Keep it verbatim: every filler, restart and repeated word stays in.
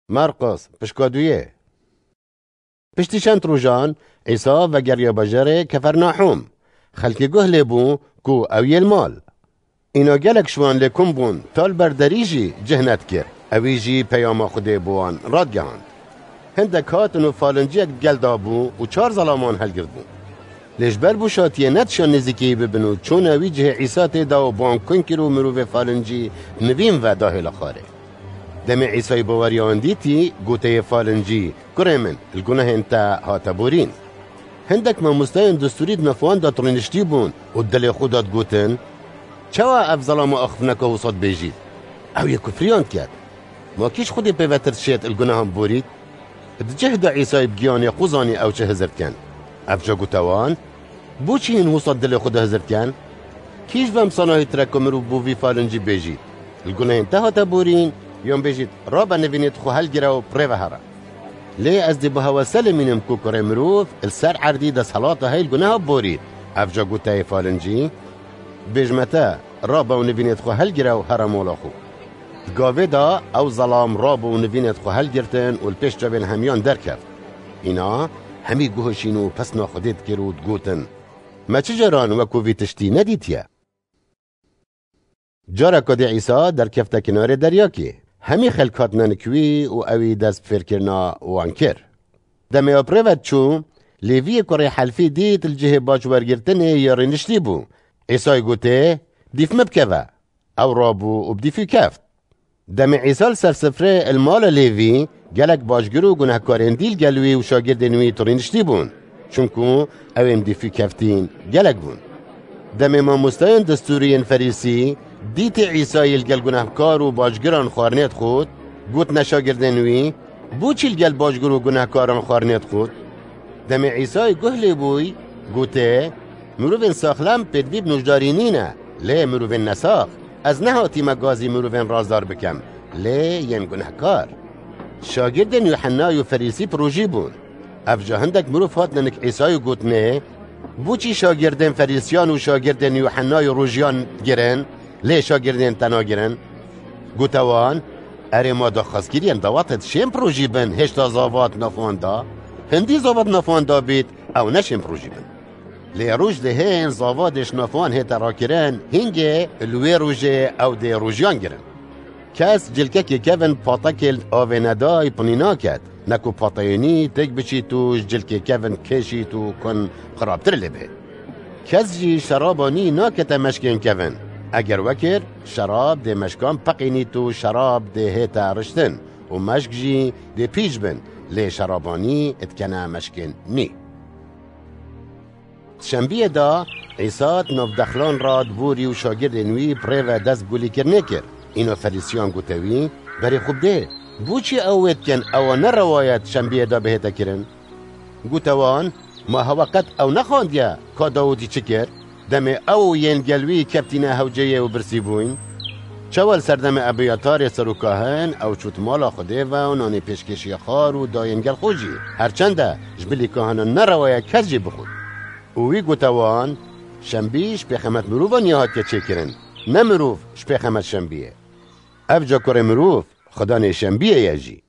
Marqos, pişka duyê. Piştî çend rojan, Îsa vegeriya bajarê Kefernahûm. Xelkê guh lê bû ku ew yê li mal. Îna gelek ji wan lê kom bûn, ta li ber derî jî cih nedikir. Ewî jî peyama Xwedê bo wan radigihand. Hindek hatin û falinciyek di gel de bû û çar zelaman helgirtbûn. Lê ji ber bûşatiyê nedişan nêzîkî wî bibin û çûne wî cihê Îsa tê de û bi wan kun kir û mirovê falincî nivîn ve dahêla xwarê. Demê Îsayî baweriya wan dîtî, gote yê falincî, "Kurê min, li gunehên te hate borîn." Hindek mamosteyên distûrî di nav wan de rûniştî bûn û dilê xwe de digotin, "Çawa ev zelama axiftineka wisa dibêjît? Ew yê kufriyan diket. Ma kî ji Xwedê pêvetir dişêt li gunehan borît?" Di cih de Îsayî bi giyanê xwe zanî ew çi hizir dikin. Ev ca gote wan, "Bo çi hîn wisa dilê xwe de hizir dikin? Kî ji van misalahî tire ku mirov bo vî falincî bêjît, 'Li gunehên te hate borîn', yan bêjît, 'Rabe nivînê xwe helgire û bi rê ve here'?" Lê ez dê bi hewese limînim ku kurê mirov li ser erdî desthilata heye li guneha borît. Ev ca gote yê falincî, "Bêjme te, rabe û nivînê xwe helgire û here mala xwe." Di gavê de ew zelam rabû û nivînê xwe helgirtin û li pêş çavên hemiyan derkeft. Îna hemî guh şîn û pesna Xwedê dikir û digotin, "Me çi caran wekû vî tiştî nedîtiye?" Careka dî Îsa derkefte kinarê deryakê. Hemî xelk hatine nik wî û ewî dest bi fêrkirina wan kir. Demê ew bi rê ve diçû, Lêviyê kurê Helfî dît li cihê bac wergirtinê ya rûniştî bû. Îsayî gotê, "Dîf min bikeve." Ew rabû û bi dîfî keft. Demê Îsa li ser sifrê li mala Lêvî, gelek bacgir û gunehkarên dî li gel wî û şagirdên wî rûniştî bûn. Çunku ew ên dîfî keftîn gelek bûn. Demê mamosteyên distûrî yên Ferîsî dîtê Îsayî li gel gunehkar û bacgiran xwarinê dixwit, gotine şagirdên wî, "Bo çi li gel bacgir û gunehkaran xwarinê dixwit?" Demê Îsayî guh lê bûy, gotê, "Mirovên saxlem pêdivî bi nûjdarî nîne, lê mirovên nesax. Ez nehatîme gazî mirovên razdar bikem, lê yên gunehkar." Şagirdên Yuhennayê û Ferîsî bi rojî bûn. Ev ca hindek mirov hatine nik Îsayî û gotine, "Bo çi şagirdên Ferîsiyan û şagirdên Yuhennayê rojiyan digirin, lê şagirdên te nagirin?" Gote wan, "Erê, ma daxwazkiriyên dawatê dişên bi rojî bin, hêşta zava di nav wan de? Hindî zava di nav wan de bît, ew neşên bi rojî bin. Lê roj dihên zava dê ji nav wan hête rakirin, hingê li wê rojê ew dê rojiyan girin." Kes cilkekê kevin patekê li avê nedayî pinî naket, ne ku pateyê nî têk biçît û ji cilkê kevin kêşît û kun xirabtir lê bihêt. Kes jî şeraba nî nakete meşkên kevin. Eger wekir, şerab dê meşkan peqînît û şerab dê hête riştin û meşk jî dê pîç bin, lê şeraba nî dikene meşkên nî. Şembiyê de Îsa di nav dexlan re di borî û şagirdên wî bi rê ve dest bi gulîkirinê kir. Îna Ferîsiyan gote wî, "Berê xwe bidê, bo çi ew wê dikin, ewa ne rewa ye di şembiyê de bihête kirin?" Gote wan, "Ma hewe qet ew nexwandiye ka Dawûdî çi kir? Demê ew û yên gel wî keftîne hewceyê û birsî bûyn. Çawa li serdemê Ebyatarê serokkahin ew çût mala Xwedê ve û nanê pêşkêşiya xar û dayên gel xwe jî? Her çende ji bilî kahinan nerewa ye kes jî bixwit." Û wî gote wan, "Şembî ji pêxemet mirovan ya hatiye çêkirin, ne mirov ji pêxemet şembiyê. Ev ca kurê mirov, Xudanê şembiyê ye jî."